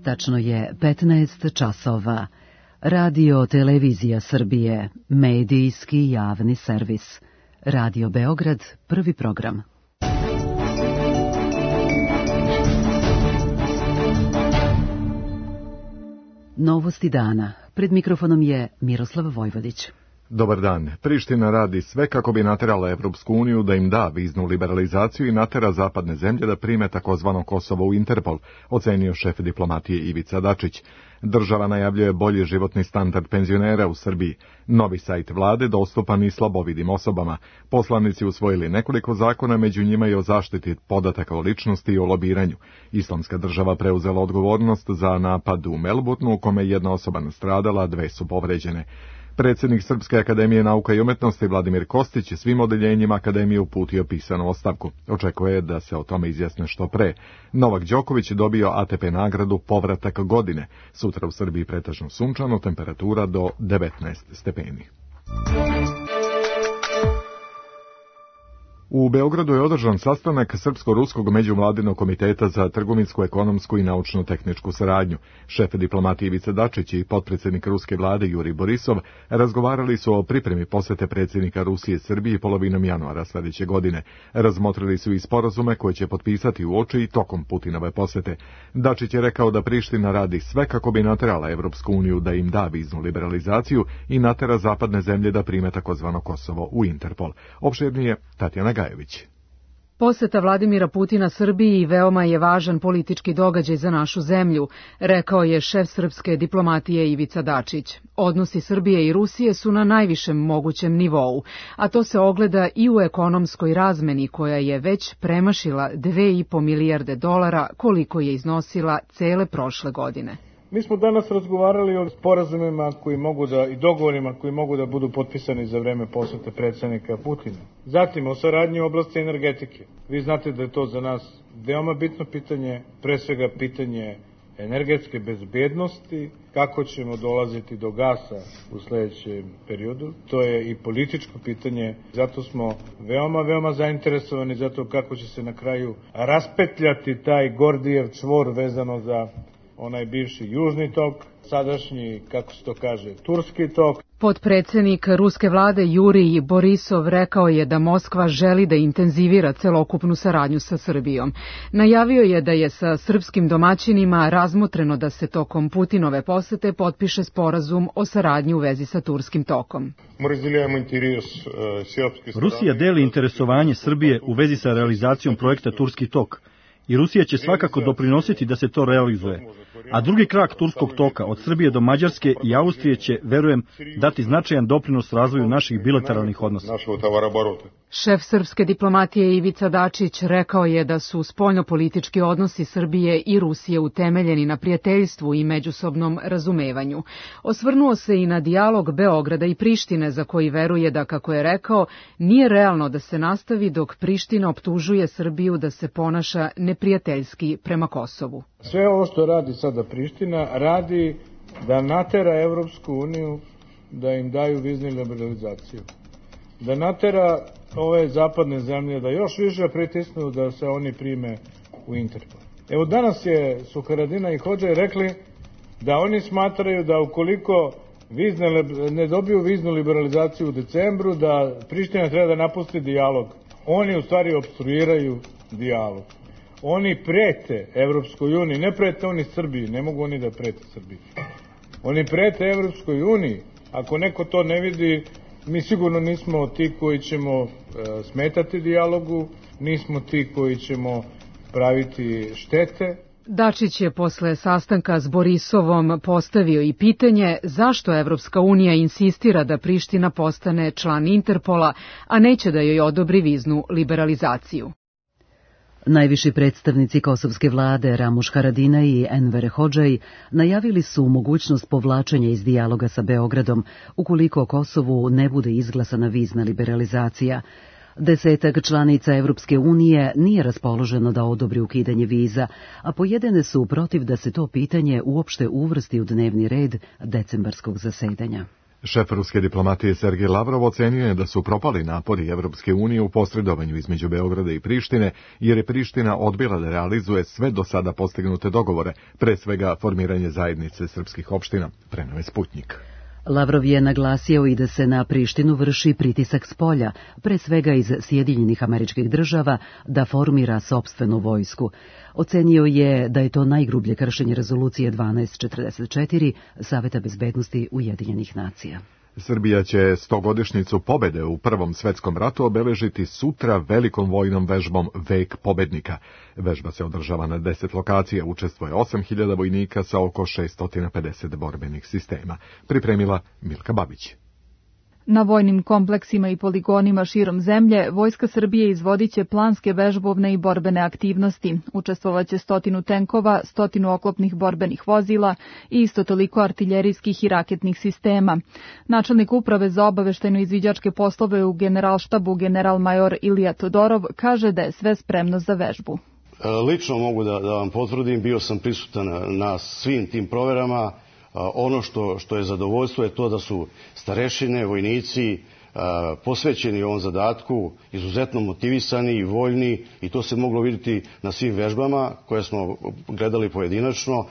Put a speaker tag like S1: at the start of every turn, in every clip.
S1: Tačno je 15 časova. Radio Televizija Srbije, medijski javni servis. Radio Beograd, prvi program. Novosti dana. Pred mikrofonom je Miroslav Vojvodić.
S2: Dobar dan. Priština radi sve kako bi naterala Evropsku uniju da im da viznu liberalizaciju i natera zapadne zemlje da prime takozvano Kosovo u Interpol, ocenio šef diplomatije Ivica Dačić. Država najavljuje bolji životni standard penzionera u Srbiji. Novi sajt vlade dostupan i slabovidim osobama. Poslanici usvojili nekoliko zakona, među njima i o zaštiti podataka o ličnosti i o lobiranju. Islamska država preuzela odgovornost za napad u Melbourneu u kome jedna osoba nastradala, dve su povređene. Predsjednik Srpske akademije nauka i umetnosti Vladimir Kostić svim odeljenjima akademije uputio pisanu ostavku. Očekuje da se o tome izjasne što pre. Novak Đoković dobio ATP nagradu Povratak godine. Sutra u Srbiji pretežno sunčano, temperatura do 19 stepeni. U Beogradu je održan sastanak Srpsko-ruskog međuvladinog komiteta za trgovinsku, ekonomsku i naučno-tehničku saradnju. Šef diplomatije Ivica Dačić i potpredsjednik ruske vlade Jurij Borisov razgovarali su o pripremi posete predsjednika Rusije Srbiji polovinom januara sljedeće godine. Razmotrili su i sporazume koje će potpisati uoči i tokom Putinove posete. Dačić je rekao da Priština radi sve kako bi naterala Evropsku uniju da im da viznu liberalizaciju i natera zapadne zemlje da prime takozvano Kosovo u Interpol. Opširnije Tatjana Gajević.
S3: Poseta Vladimira Putina Srbiji veoma je važan politički događaj za našu zemlju, rekao je šef srpske diplomatije Ivica Dačić. Odnosi Srbije i Rusije su na najvišem mogućem nivou, a to se ogleda i u ekonomskoj razmeni koja je već premašila $2,5 milijarde koliko je iznosila cele prošle godine.
S4: Mi smo danas razgovarali o sporazumima koji mogu da i dogovorima koji mogu da budu potpisani za vreme posete predsjednika Putina. Zatim o saradnji u oblasti energetike. Vi znate da je to za nas veoma bitno pitanje, pre svega pitanje energetske bezbednosti, kako ćemo dolaziti do gasa u sljedećem periodu. To je i političko pitanje, zato smo veoma zainteresovani za to kako će se na kraju raspetljati taj Gordijev čvor vezano za onaj bivši južni tok, sadašnji, kako se to kaže, turski tok.
S3: Potpredsjednik ruske vlade Jurij Borisov rekao je da Moskva želi da intenzivira celokupnu saradnju sa Srbijom. Najavio je da je sa srpskim domaćinima razmotreno da se tokom Putinove posete potpiše sporazum o saradnji u vezi sa turskim tokom.
S5: Rusija deli interesovanje Srbije u vezi sa realizacijom projekta Turski tok i Rusija će svakako doprinositi da se to realizuje. A drugi krak turskog toka od Srbije do Mađarske i Austrije će, verujem, dati značajan doprinos razvoju naših bilateralnih odnosa.
S3: Šef srpske diplomatije Ivica Dačić rekao je da su spoljnopolitički odnosi Srbije i Rusije utemeljeni na prijateljstvu i međusobnom razumevanju. Osvrnuo se i na dijalog Beograda i Prištine, za koji veruje da, kako je rekao, nije realno da se nastavi dok Priština optužuje Srbiju da se ponaša neprijateljski prema Kosovu.
S4: Sve ovo što radi sada Priština radi da natera Evropsku uniju da im daju viznu liberalizaciju. Da natera ove zapadne zemlje da još više pritisnu da se oni prime u Interpol. Evo danas su Haradinaj i Hodžaj rekli da oni smatraju da ukoliko ne dobiju viznu liberalizaciju u decembru, da Priština treba da napusti dijalog. Oni u stvari opstruiraju dijalog. Oni prete Evropskoj uniji, ne prete oni Srbiji, ne mogu oni da prete Srbiji. Oni prete Evropskoj uniji. Ako neko to ne vidi, mi sigurno nismo ti koji ćemo smetati dijalogu, nismo ti koji ćemo praviti štete.
S3: Dačić je posle sastanka s Borisovom postavio i pitanje zašto Evropska unija insistira da Priština postane član Interpola, a neće da joj odobri viznu liberalizaciju.
S1: Najviši predstavnici kosovske vlade Ramuš Haradinaj i Enver Hodžaj najavili su mogućnost povlačenja iz dijaloga sa Beogradom ukoliko Kosovu ne bude izglasana vizna liberalizacija. 10 članica Evropske unije nije raspoloženo da odobri ukidanje viza, a pojedine su protiv da se to pitanje uopšte uvrsti u dnevni red decembarskog zasedanja.
S2: Šef ruske diplomatije Sergej Lavrov ocenio je da su propali napori Evropske unije u posredovanju između Beograda i Prištine, jer je Priština odbila da realizuje sve do sada postignute dogovore, pre svega formiranje zajednice srpskih opština, preneo je Sputnjik.
S1: Lavrov je naglasio i da se na Prištinu vrši pritisak spolja, pre svega iz Sjedinjenih Američkih Država, da formira sopstvenu vojsku. Ocenio je da je to najgrublje kršenje rezolucije 1244 Saveta bezbednosti Ujedinjenih nacija.
S2: Srbija će 100-godišnjicu pobede u Prvom svetskom ratu obeležiti sutra velikom vojnom vežbom Vek pobednika. Vežba se održava na 10 lokacija, učestvuje 8.000 vojnika sa oko 650 borbenih sistema. Pripremila Milka Babić.
S6: Na vojnim kompleksima i poligonima širom zemlje, Vojska Srbije izvodit će planske vežbovne i borbene aktivnosti. Učestvovaće 100 tenkova, 100 oklopnih borbenih vozila i isto toliko artiljerijskih i raketnih sistema. Načelnik uprave za obaveštajno-izviđačke poslove u Generalštabu general-major Ilija Todorov kaže da je sve spremno za vežbu.
S7: Lično mogu da vam potvrdim, bio sam prisutan na svim tim proverama. Ono što je zadovoljstvo je to da su starešine, vojnici posvećeni ovom zadatku, izuzetno motivisani i voljni, i to se moglo vidjeti na svim vežbama koje smo gledali pojedinačno.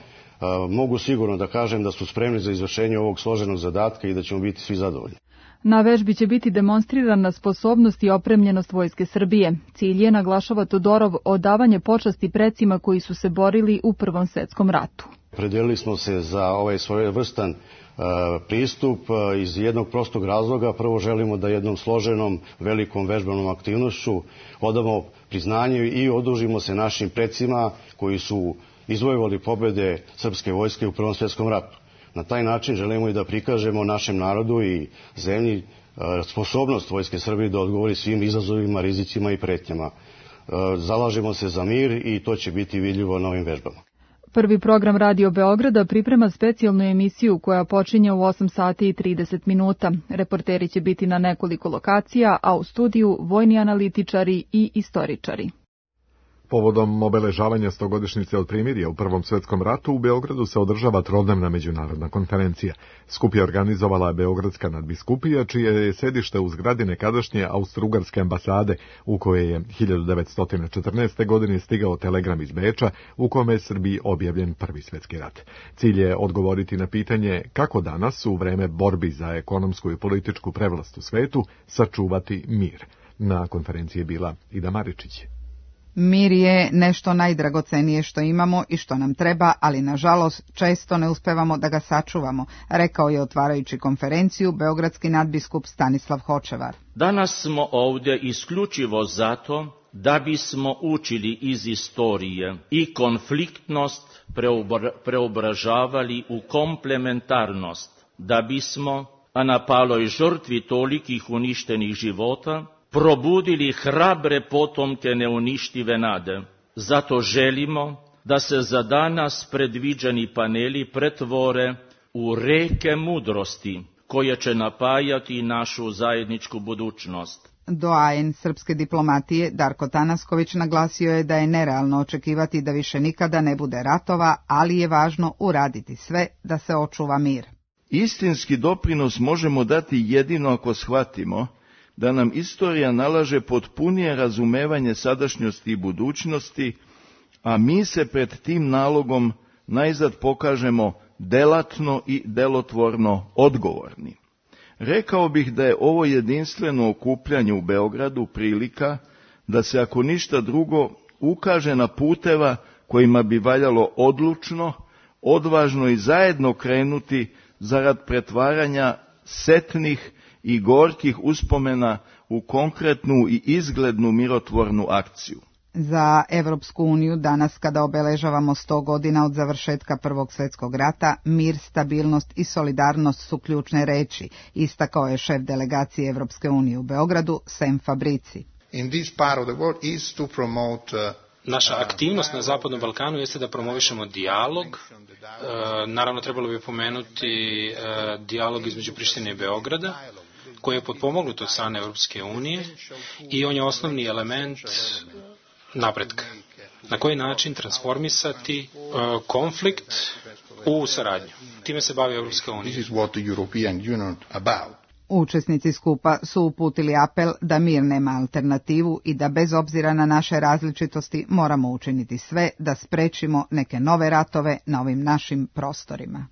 S7: Mogu sigurno da kažem da su spremni za izvršenje ovog složenog zadatka i da ćemo biti svi zadovoljni.
S6: Na vežbi će biti demonstrirana sposobnost i opremljenost Vojske Srbije. Cilj je, naglašava Todorov, odavanje počasti precima koji su se borili u Prvom svetskom ratu.
S7: Predelili smo se za ovaj svojevrstan pristup iz jednog prostog razloga. Prvo želimo da jednom složenom, velikom vežbanom aktivnošću odamo priznanje i odužimo se našim precima koji su izvojevali pobjede srpske vojske u Prvom svjetskom ratu. Na taj način želimo i da prikažemo našem narodu i zemlji sposobnost Vojske Srbije da odgovori svim izazovima, rizicima i pretnjama. Zalažemo se za mir i to će biti vidljivo na ovim vežbama.
S6: Prvi program Radio Beograda priprema specijalnu emisiju koja počinje u 8 sati i 30 minuta. Reporteri će biti na nekoliko lokacija, a u studiju vojni analitičari i istoričari.
S2: Povodom obeležavanja 100-godišnjice od primirja u Prvom svjetskom ratu u Beogradu se održava trodnevna međunarodna konferencija. Skup je organizovala Beogradska nadbiskupija, čije je sedište u zgradi nekadašnje Austro-Ugarske ambasade, u koje je 1914. godine stigao telegram iz Beča u kome je Srbiji objavljen Prvi svjetski rat. Cilj je odgovoriti na pitanje kako danas, u vreme borbi za ekonomsku i političku prevlast u svetu, sačuvati mir. Na konferenciji je bila Ida Maričić.
S8: Mir je nešto najdragocenije što imamo i što nam treba, ali nažalost često ne uspevamo da ga sačuvamo, rekao je otvarajući konferenciju beogradski nadbiskup Stanislav Hočevar.
S9: Danas smo ovdje isključivo zato da bismo učili iz istorije i konfliktnost preobražavali u komplementarnost, da bismo, a na paloj žrtvi tolikih uništenih života, probudili hrabre potomke neuništive nade. Zato želimo da se za danas predviđeni paneli pretvore u reke mudrosti koje će napajati našu zajedničku budućnost.
S8: Doajen srpske diplomatije Darko Tanasković naglasio je da je nerealno očekivati da više nikada ne bude ratova, ali je važno uraditi sve da se očuva mir.
S10: Istinski doprinos možemo dati jedino ako shvatimo da nam istorija nalaže potpunije razumevanje sadašnjosti i budućnosti, a mi se pred tim nalogom najzad pokažemo delatno i delotvorno odgovorni. Rekao bih da je ovo jedinstveno okupljanje u Beogradu prilika da se, ako ništa drugo, ukaže na puteva kojima bi valjalo odlučno, odvažno i zajedno krenuti zarad pretvaranja setnih i gorkih uspomena u konkretnu i izglednu mirotvornu akciju.
S8: Za Evropsku uniju danas, kada obeležavamo 100 godina od završetka Prvog svjetskog rata, mir, stabilnost i solidarnost su ključne reči, istakao je šef delegacije Evropske unije u Beogradu, Sem Fabrici.
S11: Naša aktivnost na Zapadnom Balkanu jeste da promovišemo dijalog. Naravno, trebalo bi pomenuti dijalog između Prištine i Beograda, koji je potpomognut od strane Evropske unije i on je osnovni element napretka. Na koji način transformisati konflikt u saradnju. Time se bavi Evropska unija.
S8: Učesnici skupa su uputili apel da mir nema alternativu i da bez obzira na naše različitosti moramo učiniti sve da sprečimo neke nove ratove na ovim našim prostorima.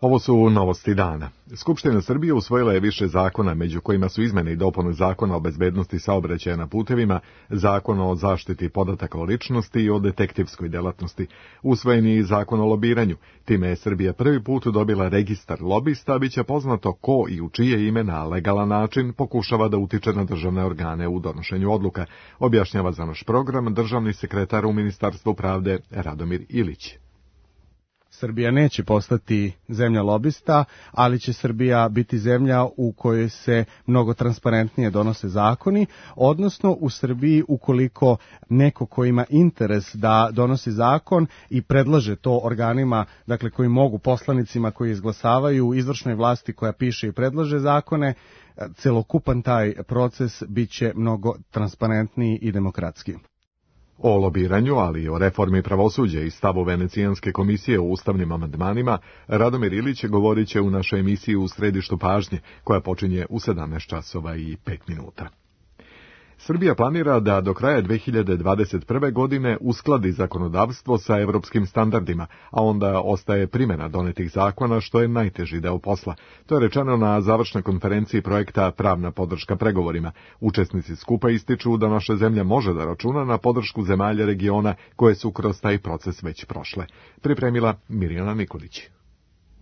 S2: Ovo su novosti dana. Skupština Srbije usvojila je više zakona, među kojima su izmene i dopune Zakona o bezbednosti saobraćaja na putevima, Zakona o zaštiti podataka o ličnosti i o detektivskoj delatnosti. Usvojen je i Zakon o lobiranju. Time je Srbija prvi put dobila registar lobista, bit će poznato ko i u čije ime na legalan način pokušava da utiče na državne organe u donošenju odluka, objašnjava za naš program državni sekretar u Ministarstvu pravde Radomir Ilić.
S12: Srbija neće postati zemlja lobista, ali će Srbija biti zemlja u kojoj se mnogo transparentnije donose zakoni, odnosno u Srbiji ukoliko neko ko ima interes da donosi zakon i predlaže to organima, dakle koji mogu poslanicima koji izglasavaju, izvršnoj vlasti koja piše i predlaže zakone, celokupan taj proces biće mnogo transparentniji i demokratski.
S2: O lobiranju, ali i o reformi pravosuđa i stavu Venecijanske komisije o ustavnim amandmanima, Radomir Ilić govorit će u našoj emisiji U središtu pažnje, koja počinje u 17 časova i 5 minuta. Srbija planira da do kraja 2021. godine uskladi zakonodavstvo sa evropskim standardima, a onda ostaje primjena donetih zakona, što je najteži deo posla. To je rečeno na završnoj konferenciji projekta Pravna podrška pregovorima. Učesnici skupa ističu da naša zemlja može da računa na podršku zemalja regiona koje su kroz taj proces već prošle. Pripremila Mirjana Nikolić.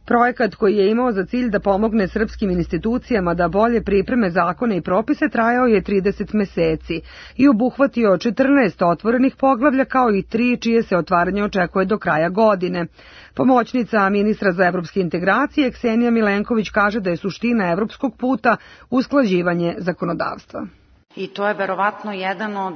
S13: Projekat koji je imao za cilj da pomogne srpskim institucijama da bolje pripreme zakone i propise trajao je 30 meseci i obuhvatio 14 otvorenih poglavlja kao i 3 čije se otvaranje očekuje do kraja godine. Pomoćnica ministra za evropske integracije Ksenija Milenković kaže da je suština evropskog puta usklađivanje zakonodavstva.
S14: I to je verovatno jedan od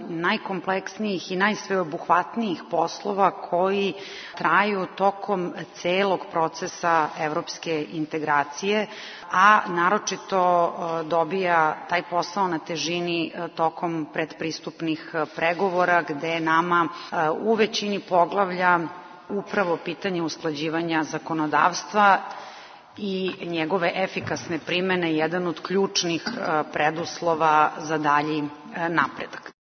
S14: najkompleksnijih i najsveobuhvatnijih poslova koji traju tokom celog procesa evropske integracije, a naročito dobija taj posao na težini tokom predpristupnih pregovora, gde nama u većini poglavlja upravo pitanje usklađivanja zakonodavstva i njegove efikasne primene jedan od ključnih preduslova za dalji napredak.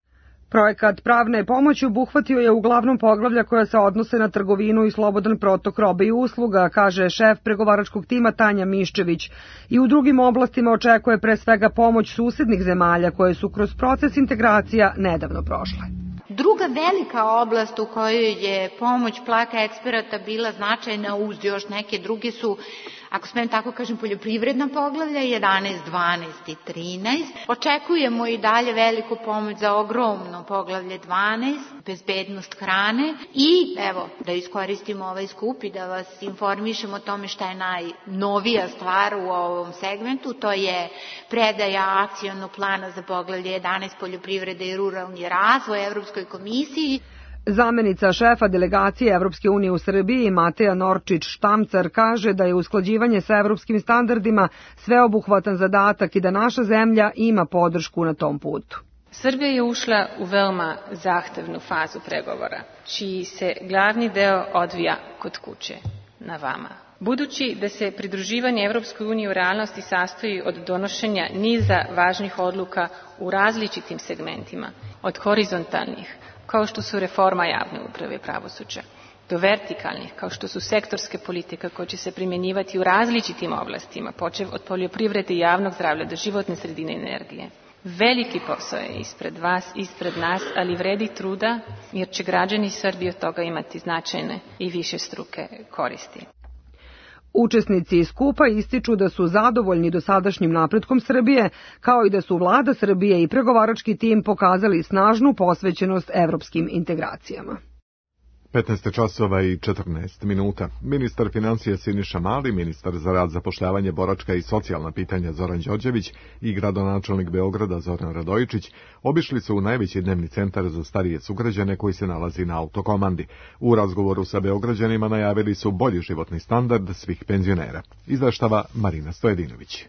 S13: Projekat pravne pomoći obuhvatio je uglavnom poglavlja koja se odnose na trgovinu i slobodan protok robe i usluga, kaže šef pregovaračkog tima Tanja Miščević, i u drugim oblastima očekuje pre svega pomoć susednih zemalja koje su kroz proces integracija nedavno prošle.
S15: Druga velika oblast u kojoj je pomoć Plaka eksperata bila značajna uz još neke druge su, ako smijem tako kažem, poljoprivredna poglavlja 11, 12 i 13. Očekujemo i dalje veliku pomoć za ogromno poglavlje 12, bezbednost hrane i evo da iskoristimo ovaj skup i da vas informišemo o tome šta je najnovija stvar u ovom segmentu, to je predaja akcionog plana za poglavlje 11 poljoprivrede i ruralni razvoj Evropskoj komisiji.
S13: Zamenica šefa delegacije Evropske unije u Srbiji Mateja Norčić-Štamcar kaže da je usklađivanje sa evropskim standardima sveobuhvatan zadatak i da naša zemlja ima podršku na tom putu.
S16: Srbija je ušla u veoma zahtevnu fazu pregovora, čiji se glavni deo odvija kod kuće, na vama. Budući da se pridruživanje Evropskoj uniji u realnosti sastoji od donošenja niza važnih odluka u različitim segmentima, od horizontalnih, kao što su reforma javne uprave i pravosuđa, do vertikalnih, kao što su sektorske politike koje će se primjenjivati u različitim oblastima, počev od poljoprivrede i javnog zdravlja do životne sredine i energije. Veliki posao je ispred vas, ispred nas, ali vredi truda, jer će građani Srbije od toga imati značajne i višestruke koristi.
S13: Učesnici skupa ističu da su zadovoljni dosadašnjim napretkom Srbije, kao i da su vlada Srbije i pregovarački tim pokazali snažnu posvećenost evropskim integracijama.
S2: 15 časova i 14 minuta. Ministar financija Siniša Mali, ministar za rad, zapošljavanje, boračka i socijalna pitanja Zoran Đorđević i gradonačelnik Beograda Zoran Radojičić obišli su u najveći dnevni centar za starije sugrađane koji se nalazi na Autokomandi. U razgovoru sa Beograđanima najavili su bolji životni standard svih penzionera. Izveštava Marina Stojedinović.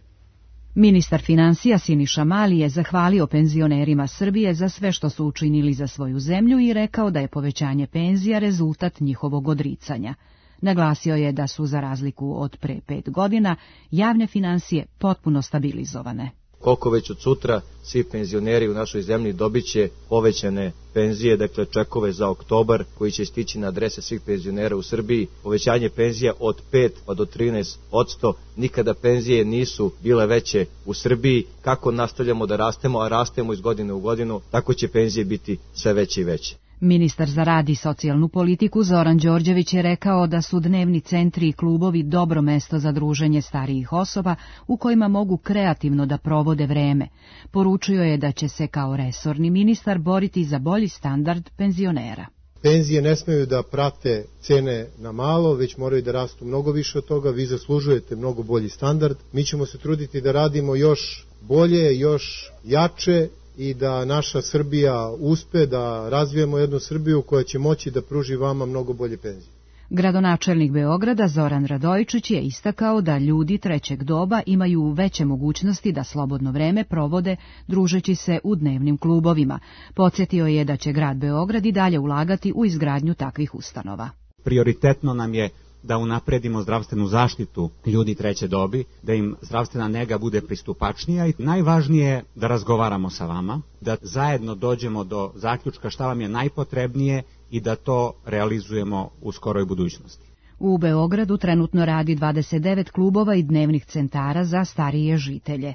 S17: Ministar financija Siniša Mali je zahvalio penzionerima Srbije za sve što su učinili za svoju zemlju i rekao da je povećanje penzija rezultat njihovog odricanja. Naglasio je da su, za razliku od pre 5 godina, javne finansije potpuno stabilizovane.
S18: Koliko već od sutra svi penzioneri u našoj zemlji dobit će povećane penzije, dakle čekove za oktobar koji će stići na adrese svih penzionera u Srbiji, povećanje penzija od 5 pa do 13%, nikada penzije nisu bile veće u Srbiji. Kako nastavljamo da rastemo, a rastemo iz godine u godinu, tako će penzije biti sve veće i veće.
S17: Ministar za rad i socijalnu politiku Zoran Đorđević je rekao da su dnevni centri i klubovi dobro mesto za druženje starijih osoba u kojima mogu kreativno da provode vreme. Poručio je da će se kao resorni ministar boriti za bolji standard penzionera.
S19: Penzije ne smeju da prate cene na malo, već moraju da rastu mnogo više od toga. Vi zaslužujete mnogo bolji standard. Mi ćemo se truditi da radimo još bolje, još jače i da naša Srbija uspe da razvijemo jednu Srbiju koja će moći da pruži vama mnogo bolje penzije.
S17: Gradonačelnik Beograda Zoran Radojičić je istakao da ljudi trećeg doba imaju veće mogućnosti da slobodno vreme provode družeći se u dnevnim klubovima. Podsjetio je da će grad Beograd i dalje ulagati u izgradnju takvih ustanova.
S20: Prioritetno nam je da unapredimo zdravstvenu zaštitu ljudi treće dobi, da im zdravstvena nega bude pristupačnija i najvažnije je da razgovaramo sa vama, da zajedno dođemo do zaključka šta vam je najpotrebnije i da to realizujemo u skoroj budućnosti.
S17: U Beogradu trenutno radi 29 klubova i dnevnih centara za starije žitelje.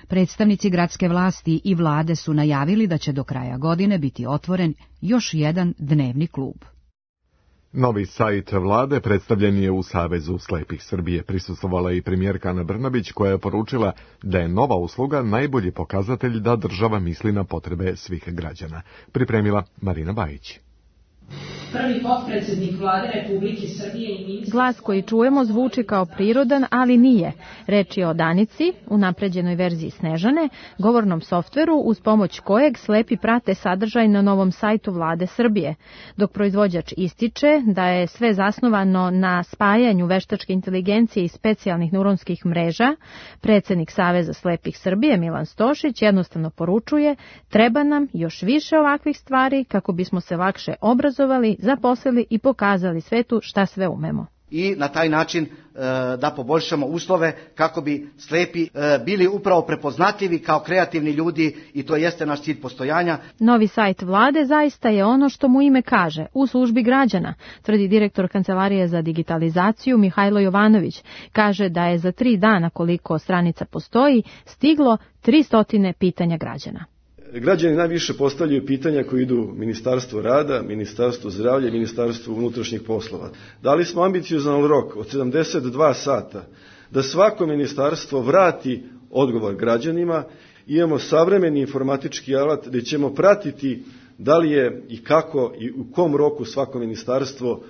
S17: Predstavnici gradske vlasti i vlade su najavili da će do kraja godine biti otvoren još jedan dnevni klub.
S2: Novi sajt vlade predstavljen je u Savezu slepih Srbije. Prisustvovala i premijerka Ana Brnabić koja je poručila da je nova usluga najbolji pokazatelj da država misli na potrebe svih građana. Pripremila Marina Bajić.
S21: Prvi potpredsjednik vlade Republike Srbije i ministar...
S22: Glas koji čujemo zvuči kao prirodan, ali nije. Reč je o Danici, unapređenoj verziji Snežane, govornom softveru uz pomoć kojeg slepi prate sadržaj na novom sajtu vlade Srbije. Dok proizvođač ističe da je sve zasnovano na spajanju veštačke inteligencije i specijalnih neuronskih mreža, predsjednik Saveza slepih Srbije Milan Stošić jednostavno poručuje: treba nam još više ovakvih stvari kako bismo se lakše obrazovali, zaposlili i pokazali svetu šta sve umemo.
S23: I na taj način da poboljšamo uslove kako bi slepi bili upravo prepoznatljivi kao kreativni ljudi i to jeste naš cilj postojanja.
S22: Novi sajt vlade zaista je ono što mu ime kaže, u službi građana, tvrdi direktor Kancelarije za digitalizaciju Mihajlo Jovanović. Kaže da je za 3 dana koliko stranica postoji stiglo 300 pitanja građana.
S24: Građani najviše postavljaju pitanja koji idu Ministarstvu rada, Ministarstvu zdravlja i Ministarstvu unutrašnjih poslova. Dali smo ambiciozan rok od 72 sata da svako ministarstvo vrati odgovor građanima. Imamo savremeni informatički alat gdje ćemo pratiti da li je i kako i u kom roku svako ministarstvo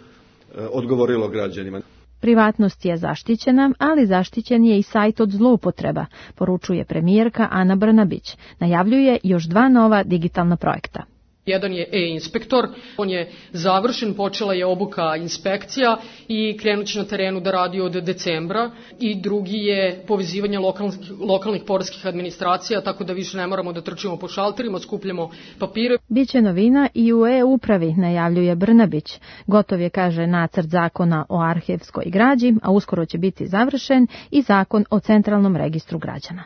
S24: odgovorilo građanima.
S22: Privatnost je zaštićena, ali zaštićen je i sajt od zloupotreba, poručuje premijerka Ana Brnabić. Najavljuje još 2 nova digitalna projekta.
S25: Jedan je e-inspektor, on je završen, počela je obuka inspekcija i krenut će na terenu da radi od decembra. I drugi je povezivanje lokalnih poreskih administracija, tako da više ne moramo da trčimo po šalterima, skupljamo papire.
S22: Biće novina i u e-upravi, najavljuje Brnabić. Gotov je, kaže, nacrt zakona o arhivskoj građi, a uskoro će biti završen i zakon o centralnom registru građana.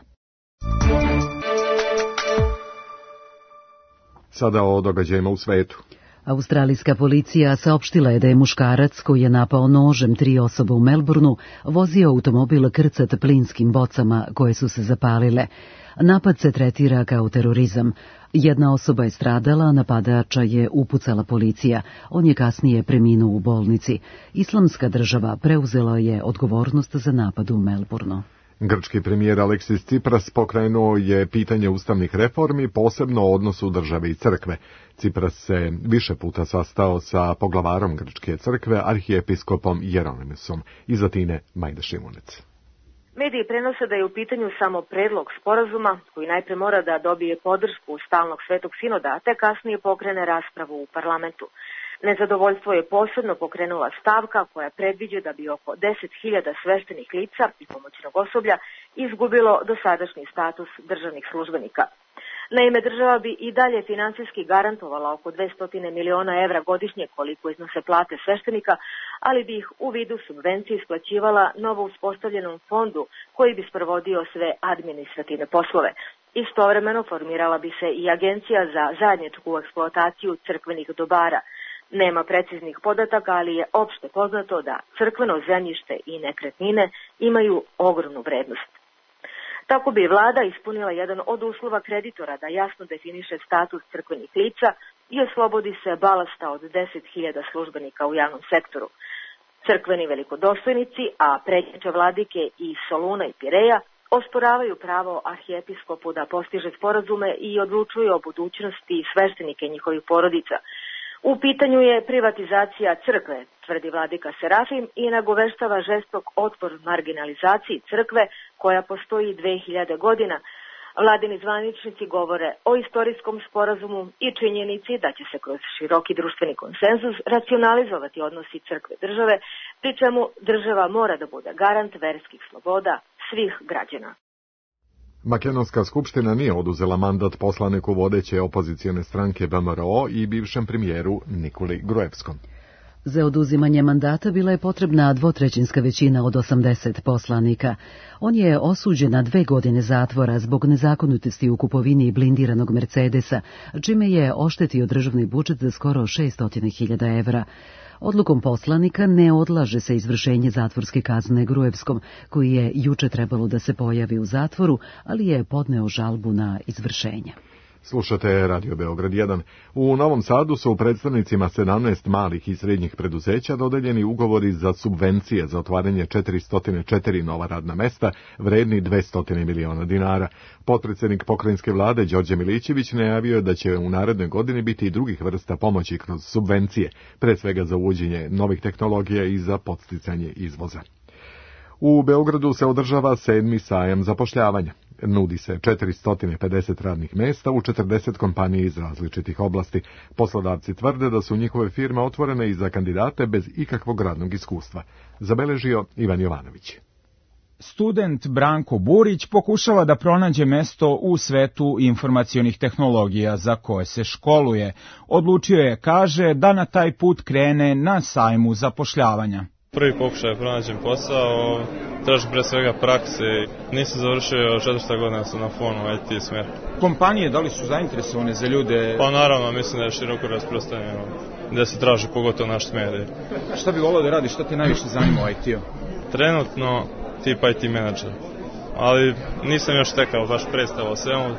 S2: Sada o događajima u svetu.
S1: Australijska policija saopštila je da je muškarac koji je napao nožem 3 osobe u Melbourneu vozio automobil krcat plinskim bocama koje su se zapalile. Napad se tretira kao terorizam. Jedna osoba je stradala, a napadača je upucala policija. On je kasnije preminuo u bolnici. Islamska država preuzela je odgovornost za napad u Melbourneu.
S2: Grčki premijer Aleksis Tsipras pokrenuo je pitanje ustavnih reformi, posebno o odnosu države i crkve. Tsipras se više puta sastao sa poglavarom Grčke crkve, arhijepiskopom Jeronimusom. Iz Atine, Majda Šimunec.
S26: Mediji prenose da je u pitanju samo predlog sporazuma, koji najpre mora da dobije podršku stalnog svetog sinoda, te kasnije pokrene raspravu u parlamentu. Nezadovoljstvo je posebno pokrenula stavka koja predviđa da bi oko 10.000 sveštenih lica i pomoćnog osoblja izgubilo dosadašnji status državnih službenika. Naime, država bi i dalje finansijski garantovala oko 200 miliona evra godišnje koliko iznose plate sveštenika, ali bi ih u vidu subvencije isplaćivala novo uspostavljenom fondu koji bi sprovodio sve administrativne poslove. Istovremeno formirala bi se i agencija za zajedničku eksploataciju crkvenih dobara. Nema preciznih podataka, ali je opšte poznato da crkveno zemljište i nekretnine imaju ogromnu vrednost. Tako bi vlada ispunila jedan od uslova kreditora da jasno definiše status crkvenih lica i oslobodi se balasta od 10.000 službenika u javnom sektoru. Crkveni velikodostojnici, a predsjedniče vladike iz Soluna i Pireja, osporavaju pravo arhijepiskopu da postiže sporazume i odlučuju o budućnosti sveštenike njihovih porodica. U pitanju je privatizacija crkve, tvrdi vladika Serafim, i nagoveštava žestok otpor marginalizaciji crkve koja postoji 2000 godina. Vladini zvaničnici govore o istorijskom sporazumu i činjenici da će se kroz široki društveni konsenzus racionalizovati odnosi crkve i države, pri čemu država mora da bude garant verskih sloboda svih građana.
S2: Makedonska skupština nije oduzela mandat poslaniku vodeće opozicijone stranke VMRO i bivšem premijeru Nikoli Gruevskom.
S1: Za oduzimanje mandata bila je potrebna dvotrećinska većina od 80 poslanika. On je osuđen na 2 godine zatvora zbog nezakonitosti u kupovini blindiranog Mercedesa, čime je oštetio državni budžet za skoro 600.000 evra. Odlukom poslanika ne odlaže se izvršenje zatvorske kazne Gruevskom, koji je juče trebalo da se pojavi u zatvoru, ali je podneo žalbu na izvršenje.
S2: Slušate Radio Beograd 1. U Novom Sadu su predstavnicima 17 malih i srednjih preduzeća dodeljeni ugovori za subvencije za otvaranje 404 nova radna mesta, vredni 200 miliona dinara. Potpredsjednik pokrajinske vlade Đorđe Milićević najavio da će u narednoj godini biti i drugih vrsta pomoći kroz subvencije, pre svega za uvođenje novih tehnologija i za podsticanje izvoza. U Beogradu se održava 7. sajam zapošljavanja. Nudi se 450 radnih mesta u 40 kompanija iz različitih oblasti. Poslodavci tvrde da su njihove firme otvorene i za kandidate bez ikakvog radnog iskustva. Zabeležio Ivan Jovanović.
S3: Student Branko Burić pokušava da pronađe mesto u svetu informacionih tehnologija za koje se školuje. Odlučio je, kaže, da na taj put krene na sajmu zapošljavanja.
S4: Prvi pokušaj pronađem posao, tražim pre svega prakse. Nisam završio 4. godina, sam na fonu IT smjer.
S3: Kompanije, da li su zainteresovane za ljude?
S4: Pa naravno, mislim da je široko rasprostranjeno, gde se traži pogotovo naš smjer.
S3: Šta bi volao da radiš, šta te najviše zanima u IT-u?
S4: Trenutno tip IT menadžer, ali nisam još tekao baš predstav o svemu,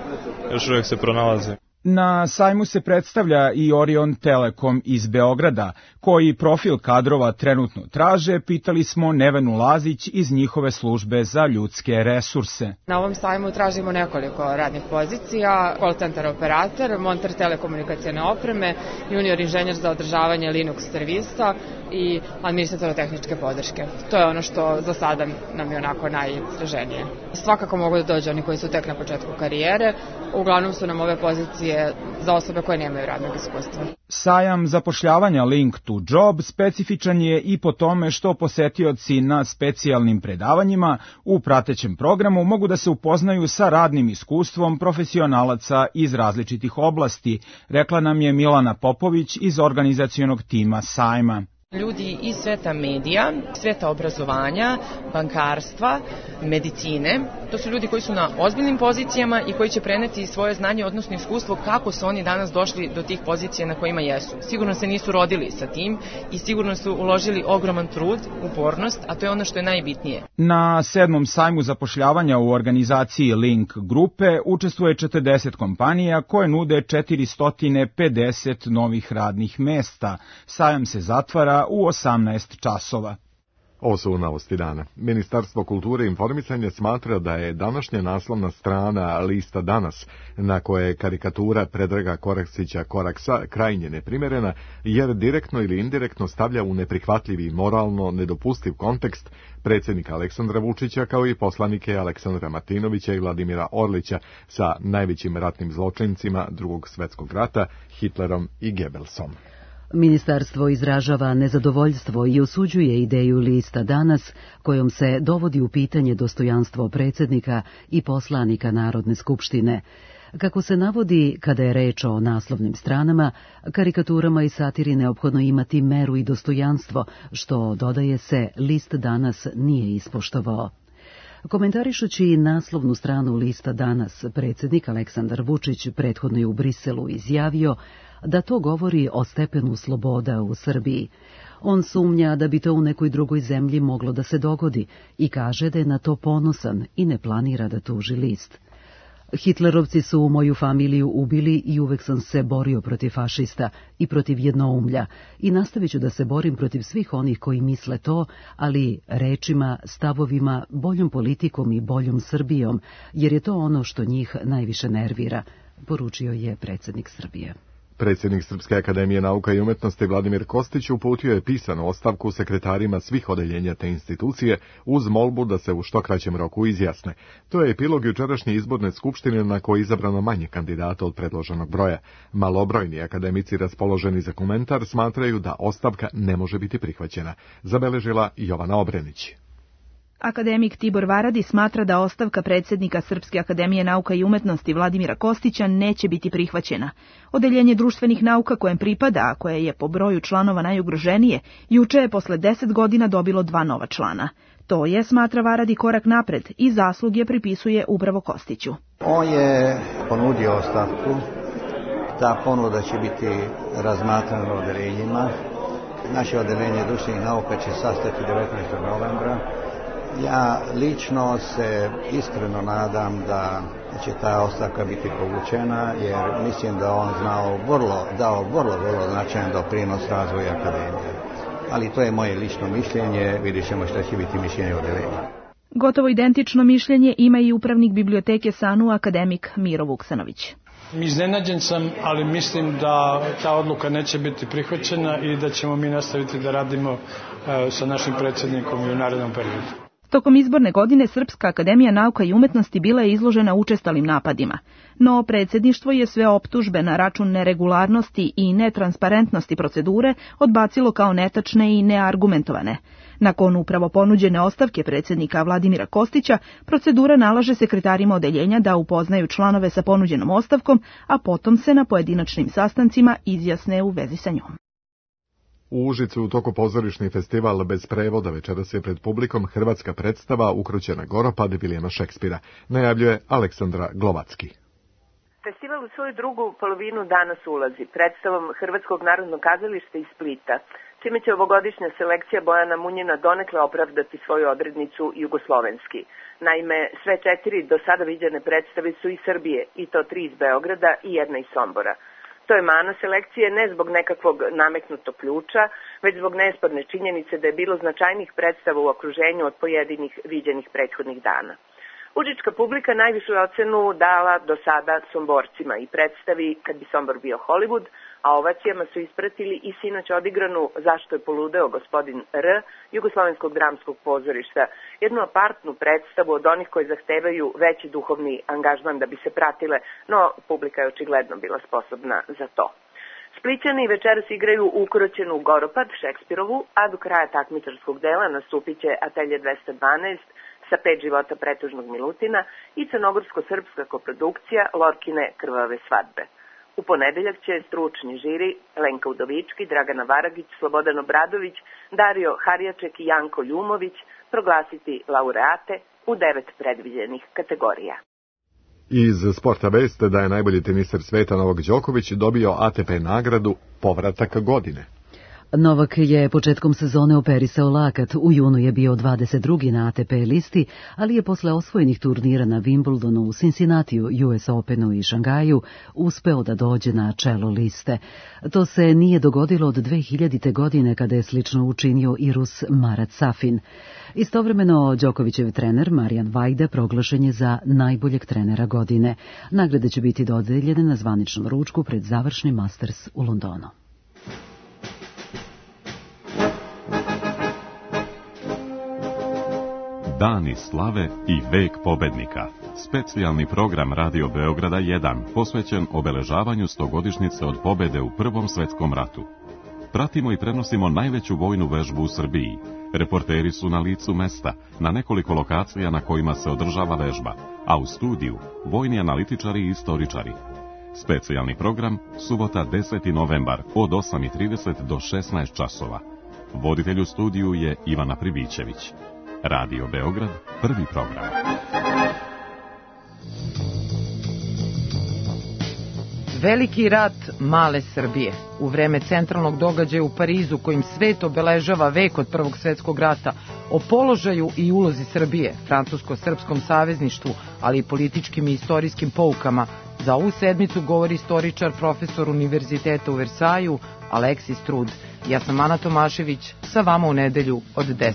S4: još uvijek se pronalazim.
S3: Na sajmu se predstavlja i Orion Telekom iz Beograda, koji profil kadrova trenutno traže, pitali smo Nevenu Lazić iz njihove službe za ljudske resurse.
S5: Na ovom sajmu tražimo nekoliko radnih pozicija, call center operator, monter telekomunikacijne opreme, junior inženjer za održavanje Linux servisa i administrator tehničke podrške. To je ono što za sada nam je onako najtraženije. Svakako mogu da dođu oni koji su tek na početku karijere, uglavnom su nam ove pozicije za osobe koje nemaju radnog iskustva.
S3: Sajam zapošljavanja Link to Job specifičan je i po tome što posetioci na specijalnim predavanjima u pratećem programu mogu da se upoznaju sa radnim iskustvom profesionalaca iz različitih oblasti, rekla nam je Milana Popović iz organizacionog tima sajma.
S6: Ljudi iz sveta medija, sveta obrazovanja, bankarstva, medicine, to su ljudi koji su na ozbiljnim pozicijama i koji će preneti svoje znanje, odnosno iskustvo kako su oni danas došli do tih pozicija na kojima jesu. Sigurno se nisu rodili sa tim i sigurno su uložili ogroman trud, upornost, a to je ono što je najbitnije.
S3: Na 7. sajmu zapošljavanja u organizaciji Link grupe učestvuje 40 kompanija koje nude 450 novih radnih mesta. Sajam se zatvara u 18 časova.
S2: Ovo su novosti dana. Ministarstvo kulture i informisanja smatra da je današnja naslovna strana lista Danas, na koje je karikatura Predraga Koraksića Koraksa krajnje neprimerena, jer direktno ili indirektno stavlja u neprihvatljiv i moralno nedopustiv kontekst predsjednika Aleksandra Vučića kao i poslanike Aleksandra Martinovića i Vladimira Orlića sa najvećim ratnim zločincima Drugog svjetskog rata, Hitlerom i Goebbelsom.
S1: Ministarstvo izražava nezadovoljstvo i osuđuje ideju lista Danas, kojom se dovodi u pitanje dostojanstvo predsjednika i poslanika Narodne skupštine. Kako se navodi, kada je reč o naslovnim stranama, karikaturama i satiri neophodno imati meru i dostojanstvo, što, dodaje se, list Danas nije ispoštovao. Komentarišući naslovnu stranu lista Danas, predsjednik Aleksandar Vučić prethodno je u Briselu izjavio da to govori o stepenu sloboda u Srbiji. On sumnja da bi to u nekoj drugoj zemlji moglo da se dogodi i kaže da je na to ponosan i ne planira da tuži list. Hitlerovci su moju familiju ubili i uvek sam se borio protiv fašista i protiv jednoumlja i nastavit ću da se borim protiv svih onih koji misle to, ali rečima, stavovima, boljom politikom i boljom Srbijom, jer je to ono što njih najviše nervira, poručio je predsjednik Srbije.
S2: Predsjednik Srpske akademije nauka i umetnosti Vladimir Kostić uputio je pisanu ostavku sekretarima svih odeljenja te institucije uz molbu da se u što kraćem roku izjasne. To je epilog jučerašnje izborne skupštine na kojoj je izabrano manje kandidata od predloženog broja. Malobrojni akademici raspoloženi za komentar smatraju da ostavka ne može biti prihvaćena, zabeležila Jovana Obrenić.
S7: Akademik Tibor Varadi smatra da ostavka predsjednika Srpske akademije nauka i umetnosti Vladimira Kostića neće biti prihvaćena. Odeljenje društvenih nauka kojem pripada, a koje je po broju članova najugroženije, juče je posle 10 godina dobilo 2 nova člana. To je, smatra Varadi, korak napred i zasluge pripisuje upravo Kostiću.
S8: On je ponudio ostavku. Ta ponuda će biti razmatrana na odeljenjima. Naše odeljenje društvenih nauka će sastati 19. novembra. Ja lično se iskreno nadam da će ta ostavka biti povučena, jer mislim da on dao vrlo značajan doprinos razvoju akademije. Ali to je moje lično mišljenje, vidjet ćemo šta će biti mišljenje odeljenja.
S7: Gotovo identično mišljenje ima i upravnik biblioteke SANU, akademik Miro Vuksanović.
S9: Iznenađen sam, ali mislim da ta odluka neće biti prihvaćena i da ćemo mi nastaviti da radimo sa našim predsjednikom i u narednom periodu.
S7: Tokom izborne godine Srpska akademija nauka i umetnosti bila je izložena učestalim napadima, no predsjedništvo je sve optužbe na račun neregularnosti i netransparentnosti procedure odbacilo kao netačne i neargumentovane. Nakon upravo ponuđene ostavke predsjednika Vladimira Kostića, procedura nalaže sekretarima odeljenja da upoznaju članove sa ponuđenom ostavkom, a potom se na pojedinačnim sastancima izjasne u vezi sa njom.
S2: U Užicu u toku pozorišni festival bez prevoda večeras je pred publikom hrvatska predstava Ukrućena Goropad Vilijama Šekspira, najavljuje Aleksandra Glovacki.
S10: Festival u svoju drugu polovinu danas ulazi predstavom Hrvatskog narodnog kazališta iz Splita, čime će ovogodišnja selekcija Bojana Munjina donekle opravdati svoju odrednicu jugoslovenski. Naime, sve 4 do sada viđene predstave su iz Srbije, i to 3 iz Beograda i 1 iz Sombora. To je mana selekcije ne zbog nekakvog nameknutog ključa, već zbog nesporne činjenice da je bilo značajnih predstava u okruženju od pojedinih viđenih prethodnih dana. Užička publika najvišu ocenu dala do sada Somborcima i predstavi Kad bi Sombor bio Hollywood, a ovacijama su ispratili i sinoć odigranu Zašto je poludeo gospodin R. Jugoslovenskog dramskog pozorišta, jednu apartnu predstavu od onih koji zahtevaju veći duhovni angažman da bi se pratile, no publika je očigledno bila sposobna za to. Splićani večeras igraju Ukroćenu Goropad Šekspirovu, a do kraja takmičarskog dela nastupit će Atelje 212 sa 5 života pretužnog Milutina i crnogorsko-srpska koprodukcija Lorkine krvave svadbe. U ponedeljak će stručni žiri Lenka Udovički, Dragana Varagić, Slobodan Obradović, Dario Harjaček i Janko Ljumović proglasiti laureate u 9 predviđenih kategorija.
S2: Iz sporta veste da je najbolji teniser sveta Novak Đoković dobio ATP nagradu Povratak godine.
S1: Novak je početkom sezone operisao lakat, u junu je bio 22. na ATP listi, ali je posle osvojenih turnira na Wimbledonu, Cincinnatiju, US Openu i Šangaju uspeo da dođe na čelo liste. To se nije dogodilo od 2000. godine kada je slično učinio i Rus Marat Safin. Istovremeno, Đokovićev trener Marijan Vajda proglašen je za najboljeg trenera godine. Nagrade će biti dodeljene na zvaničnom ručku pred završni Masters u Londonu.
S11: Dani slave i vek pobednika. Specijalni program Radio Beograda 1 posvećen obeležavanju 100-godišnjice od pobede u Prvom svetskom ratu. Pratimo i prenosimo najveću vojnu vežbu u Srbiji. Reporteri su na licu mesta, na nekoliko lokacija na kojima se održava vežba, a u studiju vojni analitičari i istoričari. Specijalni program, subota 10. novembar od 8:30 do 16 časova. Voditelj u studiju je Ivana Pribićević. Radio Beograd, prvi program.
S12: Veliki rat male Srbije. U vreme centralnog događaja u Parizu, kojim svet obeležava vek od Prvog svetskog rata, o položaju i ulozi Srbije, francusko-srpskom savezništvu, ali i političkim i istorijskim poukama, za ovu sedmicu govori istoričar, profesor Univerziteta u Versaju, Aleksis Trud. Ja sam Ana Tomašević, sa vama u nedelju od 10.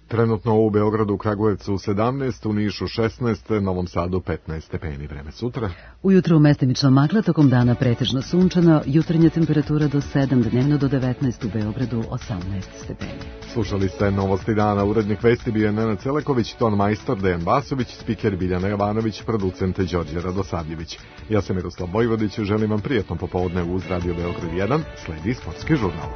S2: Trenutno u Beogradu, u Kragujevcu 17, u Nišu 16, Novom Sadu 15 stepeni. Vreme sutra.
S1: Ujutru mestimično magla, tokom dana pretežno sunčano, jutarnja temperatura do 7, dnevno do 19, u Beogradu 18 stepeni.
S2: Slušali ste Novosti dana, urednik vesti bio je Nenad Celeković, ton majstor Dejan Basović, spiker Biljana Jovanović, producent Đorđe Radosavljević. Ja sam Miroslav Vojvodić, želim vam prijatno popodne uz Radio Beograd 1, sledi sportski žurnal.